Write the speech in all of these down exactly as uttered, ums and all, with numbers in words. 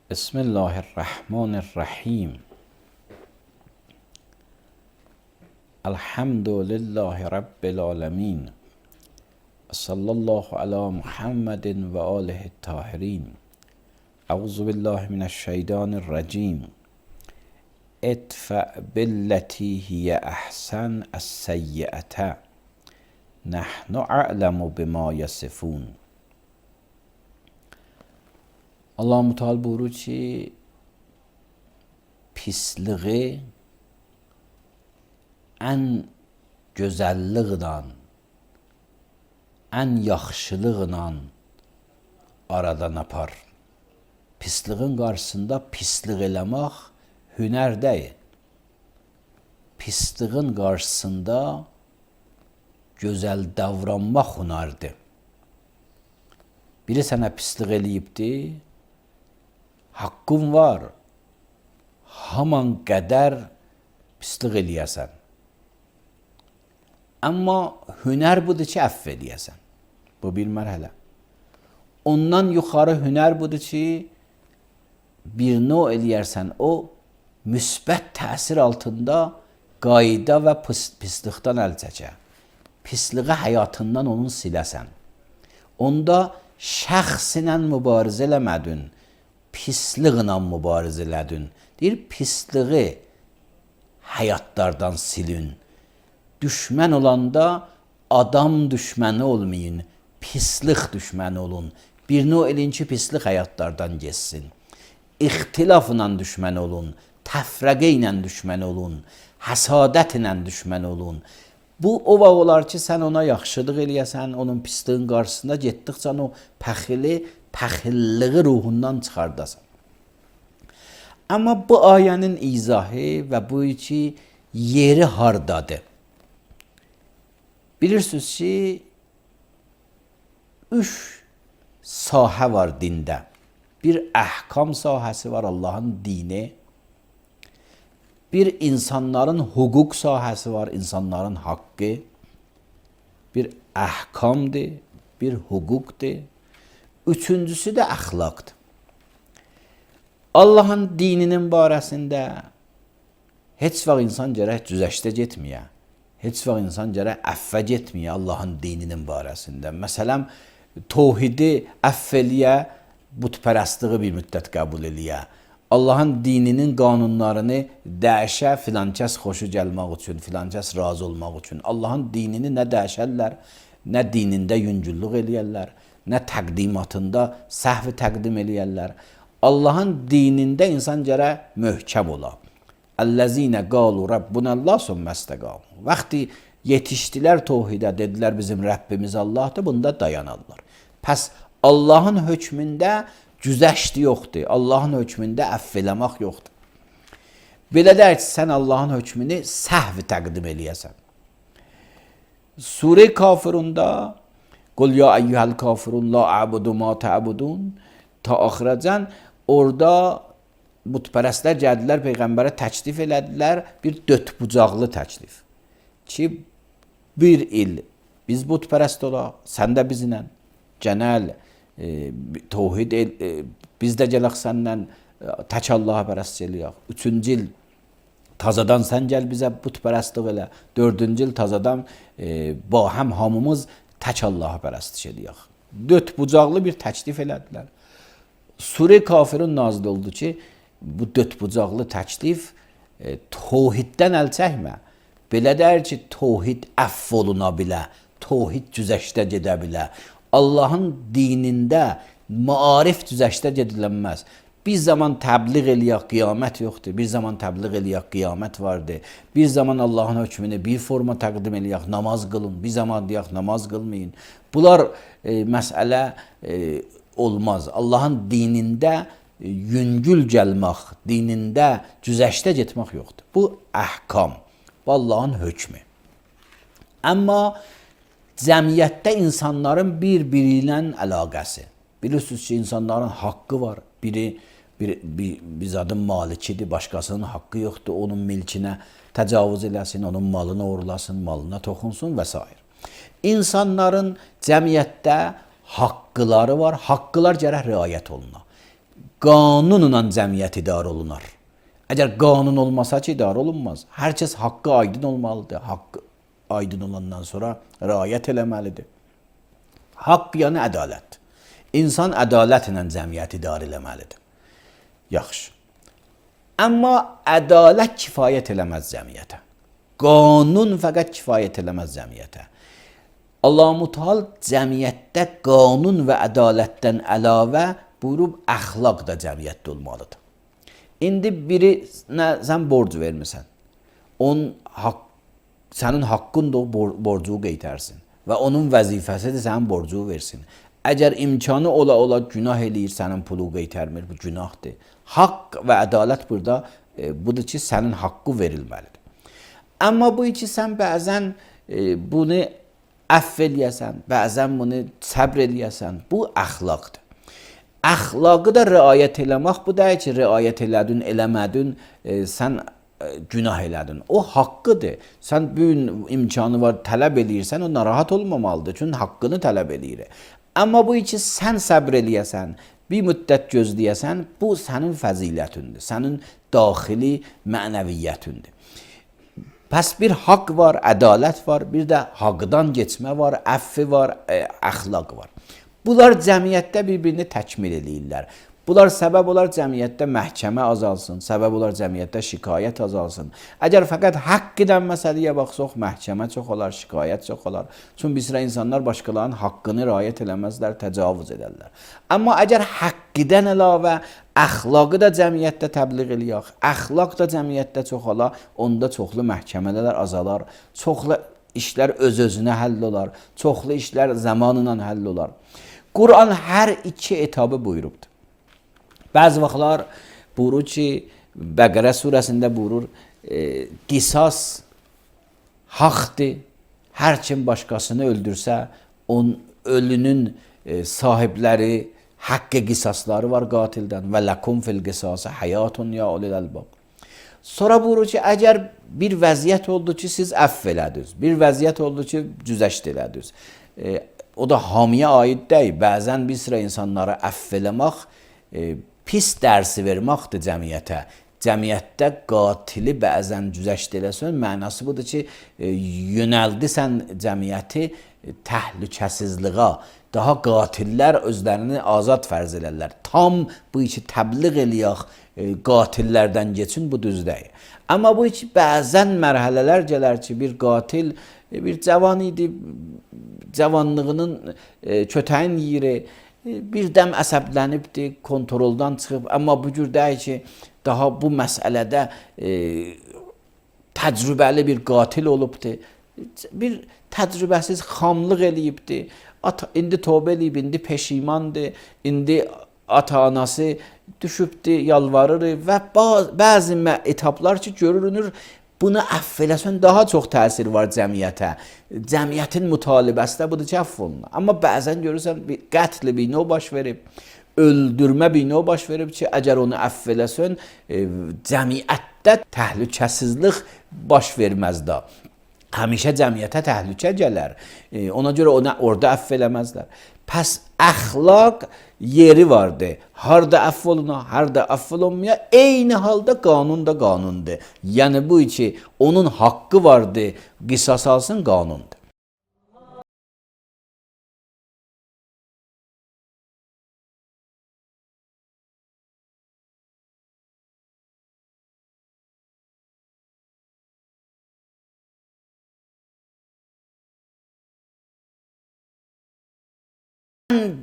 Bismillahirrahmanirrahim. Elhamdülillahi Rabbil alemin. Sallallahu ala Muhammedin ve alihi tahirin. Euzu billahi mineşşeytanirracim. Etfa billeti hiye ahsen es-seyyi'ete. Nahnu a'lemu bima yasifun. Allah-u Teala buyurur ki, pisliği ən gözəlliklə, ən yaxşılıqla aradan apar. Pisliğin qarşısında pislik eləmək hünər deyil. Pisliğin qarşısında gözəl davranmaq hünərdir. Biri sənə pislik eləyibdi, haqqın var, haman qədər pislik eləyəsən. Amma hünər budur ki, əff eləyəsən. Bu bir mərhələ. Ondan yuxarı hünər budur ki, bir növ eləyərsən, o müsbət təsir altında qayda və pis, pislikdən əl çəkə. Pisliği həyatından onun siləsən. Onda şəxsinlə mübarizə eləmədin, pisliklə mübarizə elədin. Deyir, pisliği həyatlardan silin. Düşmən olanda adam düşməni olmayın, pislik düşməni olun. Bir növ elin ki, pislik həyatlardan geçsin. İxtilafla düşmən olun, təfrəqə ilə düşmən olun, həsadət ilə düşmən olun. Bu o vaxt olar ki, sən ona yaxşılıq eləyəsən, onun pisliğin qarşısında getdikcə o pəxili, pəxilliği ruhundan çıxardasan. Amma bu ayənin izahı və bu ki, yeri hardadır? Bilirsiniz ki, üç sahə var dində. Bir əhkam sahəsi var, Allahın dini. Bir insanların hüquq sahəsi var, insanların haqqı. Bir əhkamdır, bir hüquqdur. Üçüncüsü də əxlaqdır. Allahın dininin barəsində heç vaxt insan gərək cüzəşdə getməyə. Heç vaxt insan gərək əffə getməyə Allahın dininin barəsində. Məsələn, tövhidi əff eləyə, bütpərəstliği bir müddət qəbul eləyə. Allahın dininin qanunlarını dəyişə, filan kəs xoşu gəlmək üçün, filan kəs razı olmaq üçün. Allahın dinini nə dəyişərlər, nə dinində yüngüllük eləyərlər, nə təqdimatında səhvi təqdim eləyərlər. Allahın dinində insan gərək möhkəm ola. Əl-ləzinə qalu Rabbunəllah sümmə-istəqamu. Vaxtı yetişdilər tövhidə, dedilər bizim Rəbbimiz Allahdır, bunda dayanarlar. Pəs Allahın hökmündə cüzəşdi yoxdur. Allahın hökmündə əff eləmək yoxdur. Belə deyək ki, sən Allahın hökmünü səhvi təqdim eləyəsən. Surə Kafirunda Qul ya eyyuhel kafirun la a'budu ma ta'budun ta axıracən orada bütpərəstlər gəldilər, Peyğəmbərə təklif elədilər, bir dötbucaqlı təklif. Ki, bir il biz bütpərəst olaq, sən də bizlə, genel e, tövhid, e, biz də gələk səndən e, tək Allaha pərəst eləyək. Üçüncü il tazadan sən gəl bizə bütpərəstlik elə. Dördüncü il tazadan e, ba həm hamımız tək Allaha pərəstiş eləyək. Dötbucaqlı bir təklif elədilər. Surə Kafirun nazil oldu ki, bu dötbucaqlı təklif e, tövhiddən əl çəkmə. Belə deyir ki, tövhid əff oluna bilə, tövhid cüzəşdə gedə bilə. Allahın dinində maarif cüzəşdə gedilənməz. Bir zaman təbliğ eləyək, qiyamət yoxdur. Bir zaman təbliğ eləyək, qiyamət vardır. Bir zaman Allahın hökmünü bir forma təqdim eləyək, namaz qılın. Bir zaman deyək, namaz qılmayın. Bunlar e, məsələ e, olmaz. Allahın dinində e, yüngül gəlmək, dinində cüzəşdə getmək yoxdur. Bu əhkam, bu Allahın hökmü. Amma cəmiyyətdə insanların bir-biri ilə əlaqəsi. Bilirsiniz ki, insanların haqqı var. Biri bir, bir, bir zadın malikidir, başqasının haqqı yoxdur, onun milkinə təcavüz eləsin, onun malını oğurlasın, malına toxunsun və s. İnsanların cəmiyyətdə haqqıları var, haqqılar gərək riayət oluna. qanunla cəmiyyət idarə olunar. Əgər qanun olmasa ki, idarə olunmaz. Hər kəs haqqı aydın olmalıdır. Haqqı aydın olandan sonra riayət eləməlidir. Haqq yəni ədalət. İnsan ədalətlə cəmiyyət idarə eləməlidir. Yaxşı. Amma ədalət kifayət eləməz cəmiyyətə. Qanun fəqət kifayət eləməz cəmiyyətə. Allah-u Teala cəmiyyətdə qanun və ədalətdən əlavə buyurub əxlaq da cəmiyyətdə olmalıdır. İndi birinə sən borc vermirsən. Onun haqq, sənin haqqın da o borcu qeytərsin və onun vəzifəsidir sənin borcu versin. Əgər imkanı ola ola günah eləyir, sənin pulu qeytərmir, bu günahdır. Haqq və ədalət burada e, budur ki, sənin haqqı verilməlidir. Amma bu ki, sən bəzən e, bunu əff eləyəsən, bəzən bunu səbr eləyəsən, bu əxlaqdır. Əxlaqı da riayət eləmək bu deyil ki, riayət elədin, eləmədin, e, sən e, günah elədin. O haqqıdır. Sən bu gün imkanı var, tələb eləyirsən, o narahat olmamalıdır. Çünki haqqını tələb eləyir. Amma bu ki, sən səbr eləyəsən, bir müddət gözləyəsən, bu sənin fəzilətindir, sənin daxili mənəviyyətindir. Pəs bir haqq var, ədalət var, bir də haqdan geçmə var, əffi var, e, əxlaq var. Bunlar cəmiyyətdə bir-birini təkmil eləyirlər. Bunlar səbəb olar cəmiyyətdə məhkəmə azalsın, səbəb olar cəmiyyətdə şikayət azalsın. Əgər fəqət haqq edən məsələyə baxsaq, məhkəmə çox olar, şikayət çox olar. Çünki bir sıra insanlar başqalarının haqqını riayət eləməzlər, təcavüz edərlər. Amma əgər haqq edən əlavə əxlaqı da cəmiyyətdə təbliğ eləyək, əxlaq da cəmiyyətdə çox olar, onda çoxlu məhkəmələr azalar, çoxlu işlər öz-özünə həll olar, çoxlu işlər zamanla həll olar. Quran hər iki etabı buyurubdur. Bəzi vaxtlar buyurur ki, Bəqərə surəsində buyurur, e, qisas haqdır. Hər kim başqasını öldürsə, onun ölünün e, sahibləri, haqqı qisasları var qatildən. Və lakum fil qisası həyatun ya ulil albab. Sonra buyurur ki, əgər bir vəziyyət oldu ki, siz əff elədiniz, bir vəziyyət oldu ki, cüzəşt elədiniz. E, o da hamiyə aid deyil. Bəzən bir sıra insanlara əff eləmək, e, pis dərsi verməkdir cəmiyyətə. Cəmiyyətdə qatili bəzən cüzəşt eləsən, mənası budur ki, e, yönəldisən cəmiyyəti e, təhlükəsizliğə. Daha qatillər özlərini azad fərz elərlər. Tam bu işi təbliğ eləyək, e, qatillərdən geçin, bu düz deyil. Amma bu işi bəzən mərhələlər gələr ki, bir qatil e, bir cavan idi, cavanlığının e, kötəyin yeri, birdəm əsəblənibdi, kontroldan çıxıb, amma bu cür deyil ki, daha bu məsələdə e, təcrübəli bir qatil olubdi, bir təcrübəsiz xamlıq eləyibdi, ata, indi tövbə eləyib, indi peşimandır, indi ata-anası düşübdi, yalvarır və bəzi etaplar ki, görünür, bunu əff eləsən daha çox təsir var cəmiyyətə. Cəmiyyətin mütalibəsi də budur ki, əff olunur. Amma bəzən görürsən, bir qətl bir növ baş verib, öldürmə bir növ baş verib ki, əgər onu əff eləsən, e, cəmiyyətdə təhlükəsizlik baş verməz da. Həmişə cəmiyyətə təhlükə gələr. E, ona görə onu orada əff eləməzlər. Pəs əxlaq yeri vardır. Harda əff oluna, harda əff olunmaya, eyni halda qanun da qanundur. Yəni bu ki, onun haqqı vardır, qisas alsın qanundur.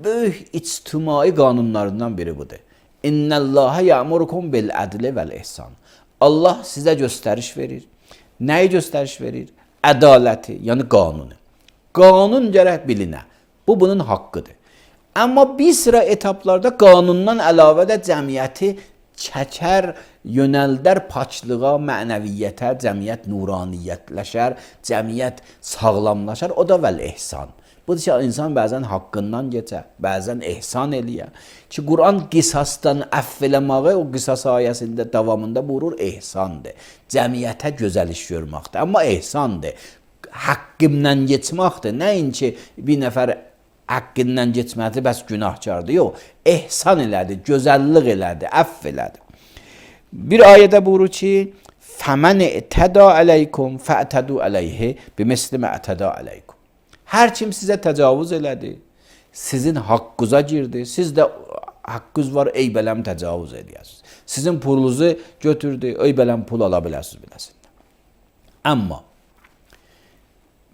Böyük ictimai qanunlarından biri budur. İnnəllâhe ya'murukum bil ədli vəl ihsan. Allah sizə göstəriş verir. Nəyi göstəriş verir? Ədaləti, yəni qanunu. Qanun gərək bilinə. Bu bunun haqqıdır. Amma bir sıra etaplarda qanundan əlavə də cəmiyyəti çəkər, yönəldər paçlığa, mənəviyyətə, cəmiyyət nuraniyyətləşər, cəmiyyət sağlamlaşar. O da vəl ihsan. Budur ki, insan bəzən haqqından geçər, bəzən ehsan eləyər. Ki, Quran qisasdan əff eləməyi o qisas ayəsində davamında buyurur, ehsandır. Cəmiyyətə gözəl iş görməkdir, amma ehsandır. Haqqımdan geçməkdir. Nəinki bir nəfər haqqından geçmədi, bəs günahkardır. Yox, ehsan elədi, gözəllik elədi, əff elədi. Bir ayədə buyurur ki, فَمَنْ اِتَدَى عَلَيْكُمْ فَأْتَدُوا عَلَيْهِ بِمِثْلِ مَا اَتَدَى عَلَيْكُمْ. Hər kim sizə təcavüz elədi, sizin haqqınıza girdi, siz də haqqınız var, ey bələm təcavüz edəsiniz. Sizin pulunuzu götürdü, ey bələm pul ala biləsiniz biləsiniz. Amma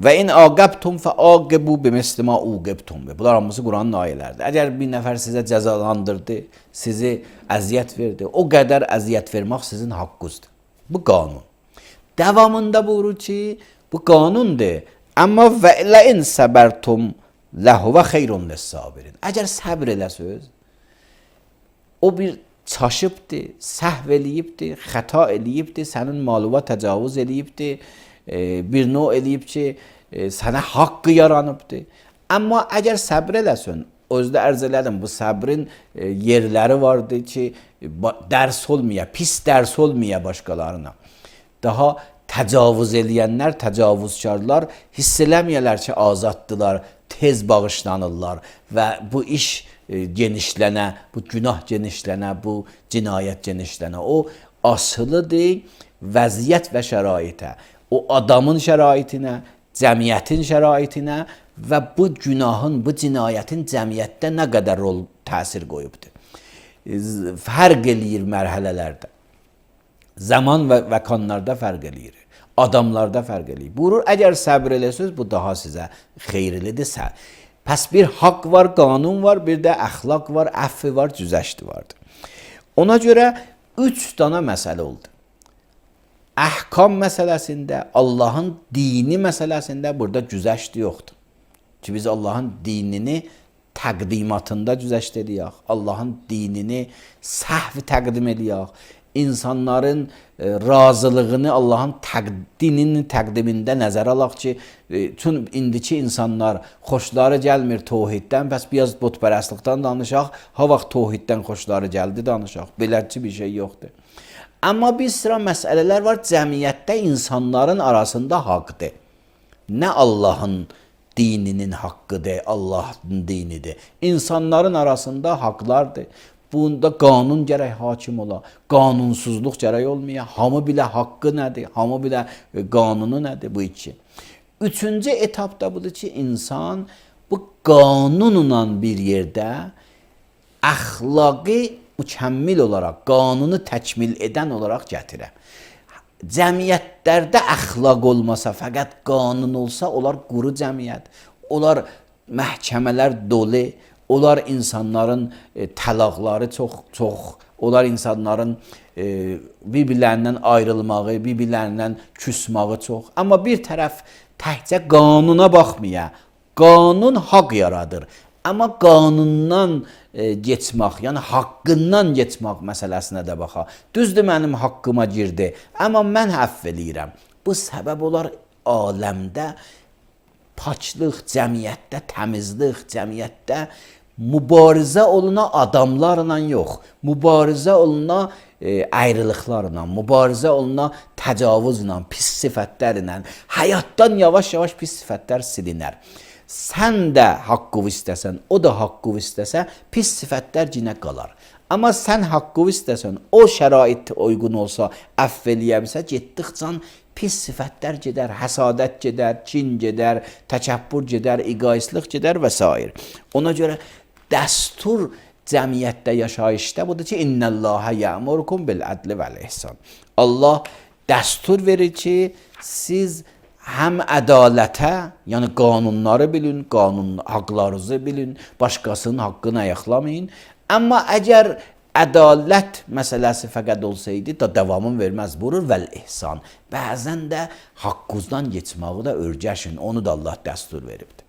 və in aqabtum fa'aqibu bimisli ma uqibtum. Bunlar hamısı Quranın ayələridir. Əgər bir nəfər sizə cəzalandırdı, sizi əziyyət verdi, o qədər əziyyət vermək sizin haqqınızdır. Bu qanun. Davamında buyurur ki, bu qanundur. Amma və la in sabartum lahu xeyrun lis-sabirin. Əgər səbr eləsəz, o bir çaşıbdır, səhv eləyibdir, xəta eləyibdir, sənin malına təcavüz eləyibdir, bir növ eləyib ki, sənə haqqı yaranıbdır. Amma əgər səbr eləsən, özdə ərz elədim, bu səbrin yerləri vardır ki, dərs olmaya, pis dərs olmaya başqalarına. Daha təcavüz eləyənlər, təcavüzkarlar hiss eləməyələr ki, azaddılar, tez bağışlanırlar və bu iş genişlənə, bu günah genişlənə, bu cinayət genişlənə. O asılıdır vəziyyət və şəraitə. O adamın şəraitinə, cəmiyyətin şəraitinə və bu günahın, bu cinayətin cəmiyyətdə nə qədər rol, təsir qoyubdur. Fərq eləyir mərhələlərdə. Zaman və məkanlarda fərq eləyir. Adamlarda fərq eləyir. Buyurur, əgər səbr eləsəz, bu daha sizə xeyirlidir. Pəs bir haqq var, qanun var, bir də əxlaq var, əffi var, güzəşti vardır. Ona görə üç dana məsələ oldu. Əhkam məsələsində, Allahın dini məsələsində burada güzəşti yoxdur. Ki biz Allahın dinini təqdimatında güzəşt ediyək, Allahın dinini səhv təqdim ediyək, insanların e, razılığını Allahın dininin təqdimində nəzərə alaq ki, e, tüm indiki insanlar xoşları gəlmir tohiddən, bəs biraz butpərəstlikdən danışaq, ha vaxt tohiddən xoşları gəldi danışaq, beləci bir şey yoxdur. Amma bir sıra məsələlər var, cəmiyyətdə insanların arasında haqqdır. Nə Allahın dininin haqqıdır, Allahın dinidir. İnsanların arasında haqlardır. Bunda qanun gərək hakim ola, qanunsuzluq gərək olmaya, hamı bilə haqqı nədir, hamı bilə qanunu nədir bu iki. Üçüncü etapda budur ki, insan bu qanunla bir yerdə əxlaqi mükəmmil olaraq, qanunu təkmil edən olaraq gətirə. Cəmiyyətlərdə əxlaq olmasa, fəqət qanun olsa, onlar quru cəmiyyət, onlar məhkəmələr dolu, onlar insanların e, təlaqları çox, çox, onlar insanların e, bir-birlərindən ayrılmağı, bir-birlərindən küsmağı çox. Amma bir tərəf təkcə qanuna baxmaya, qanun haqq yaradır. Amma qanundan e, geçmək, yəni haqqından geçmək məsələsinə də baxa. Düzdür, mənim haqqıma girdi, amma mən əfv eləyirəm. Bu səbəb olar aləmdə paçlıq, cəmiyyətdə təmizlik, cəmiyyətdə mübarizə oluna adamlarla yox, mübarizə oluna e, ayrılıqlarla, mübarizə oluna təcavüzlə, pis sifətlərlə, həyatdan yavaş-yavaş pis sifətlər silinər. Sən də haqqı istəsən, o da haqqı istəsə, pis sifətlər cinə qalar. Amma sən haqqı istəsən, o şərait uyğun olsa, əfv eləyəbilsə, getdikcə pis sifətlər gedər, həsadət gedər, kin gedər, təkəbbür gedər, egoistlik gedər və s. Ona görə dəstur cəmiyyətdə, yaşayışda budur ki, İnnəllâhə yə'murukum bil-ədli vəl-ihsan. Allah dəstur verir ki, siz həm ədalətə, yəni qanunları bilin, qanun haqlarınızı bilin, başqasının haqqını ayaqlamayın. Amma əgər ədalət məsələsi fəqət olsaydı da davamın verməz buyurur vəl-ihsan. Bəzən də haqqınızdan geçməyi də öyrəşin, onu da Allah dəstur veribdir.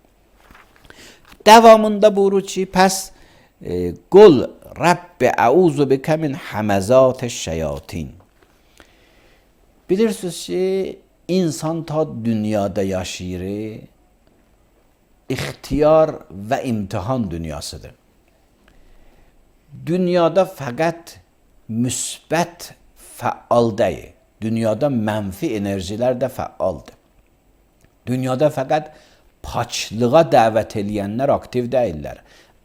Davamında buyurur ki, pəs e, qul Rabbi əuzu bikə min həməzatəş şeyatin. Bilirsiniz ki, İnsan ta dünyada yaşayır, ixtiyar və imtihan dünyasıdır. Dünyada fəqət müsbət fəal deyil, dünyada mənfi enerjilər də fəaldır. Dünyada fəqət paçlığa dəvət eləyənlər aktiv deyirlər.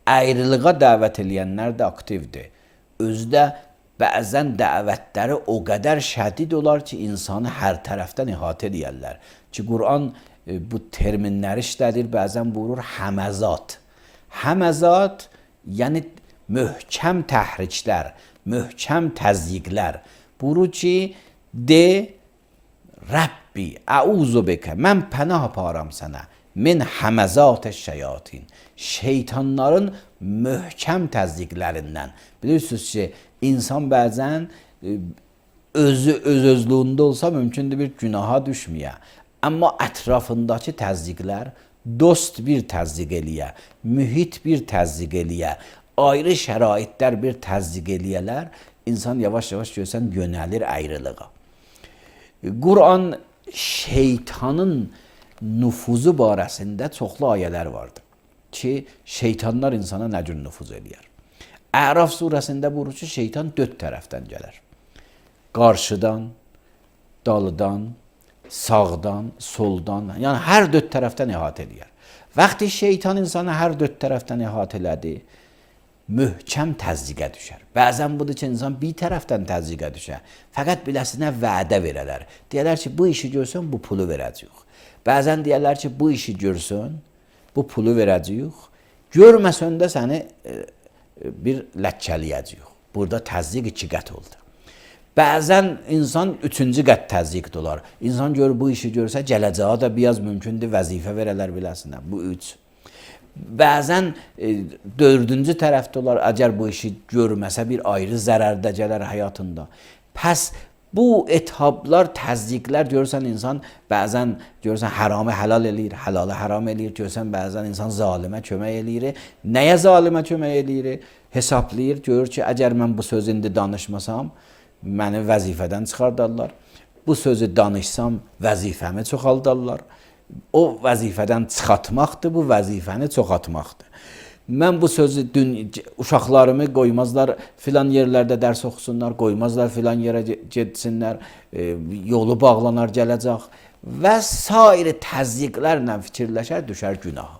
Ayrılığa dəvət eləyənlər də aktivdir. Özdə bəzən dəvətləri o qədər şədid olar ki, insanı hər tərəfdən ihatə edərlər. Ki, Quran bu terminləri işlədir, bəzən buyurur həməzat. Həməzat, yəni möhkəm təhriklər, möhkəm təzyiqlər. Buyurur ki, de, Rəbbi, əuzu bikə, mən pənah aparam sənə, min həməzat şeyatin, şeytanların möhkəm təzyiqlərindən. Bilirsiniz ki, insan bəzən özü öz-özlüyündə olsa mümkündür bir günaha düşməyə. Amma ətrafındakı təzyiqlər, dost bir təzyiq eləyə, mühit bir təzyiq eləyə, ayrı şəraitlər bir təzyiq eləyələr, insan yavaş-yavaş görsən yönəlir ayrılığa. Quran şeytanın nüfuzu barəsində çoxlu ayələr vardır ki, şeytanlar insana nə cür nüfuz eləyər. Əraf surəsində buyurur ki, şeytan dörd tərəfdən gələr. Qarşıdan, dalıdan, sağdan, soldan, yəni hər dörd tərəfdən əhatə eləyər. Vaxtı şeytan insanı hər dörd tərəfdən əhatə elədi, möhkəm təzyiqə düşər. Bəzən budur ki, insan bir tərəfdən təzyiqə düşər. Fəqət biləsinə vədə verələr. Deyərlər ki, bu işi görsən, bu pulu verəcəyik. Bəzən deyərlər ki, bu işi görsən, bu pulu verəcəyik. Görməsən də səni e, bir ləkkələyəcəyik. Burada təzyiq iki qət oldu. Bəzən insan üçüncü qət təzyiq olar. İnsan gör bu işi görsə, gələcəyə də biraz mümkündür vəzifə verələr biləsinə. Bu üç. Bəzən e, dördüncü tərəfdə olar, əgər bu işi görməsə bir ayrı zərərdə gələr həyatında. Pəs bu ethablar, təzyiqlər görsən insan bəzən görsən haramı helal eləyir, halalı haram eləyir, görsən bəzən insan zalimə kömək eləyir. Nəyə zalimə kömək eləyir? Hesablayır, görür ki, əgər mən bu sözü indi danışmasam, məni vəzifədən çıxardarlar. Bu sözü danışsam, vəzifəmi çoxaldarlar. O vəzifədən çıxartmaqdır, bu vəzifəni çoxaltmaqdır. Mən bu sözü dün uşaqlarımı qoymazlar filan yerlərdə dərs oxusunlar, qoymazlar filan yerə getsinlər, e, yolu bağlanar gələcək və sair təzyiqlərlə fikirləşər, düşər günaha.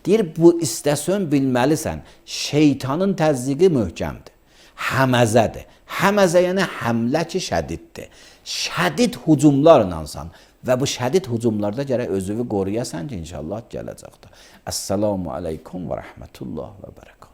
Deyir, bu istəsən bilməlisən, şeytanın təzyiqi möhkəmdir, həməzədir. Həməzə yəni həmlə ki, şədiddir. Şədid hücumlarlansan və bu şədid hücumlarda gərək özünü qoruyasan ki, inşallah gələcəkdir. Əssalamu aleykum və rəhmətullah və bərəkət.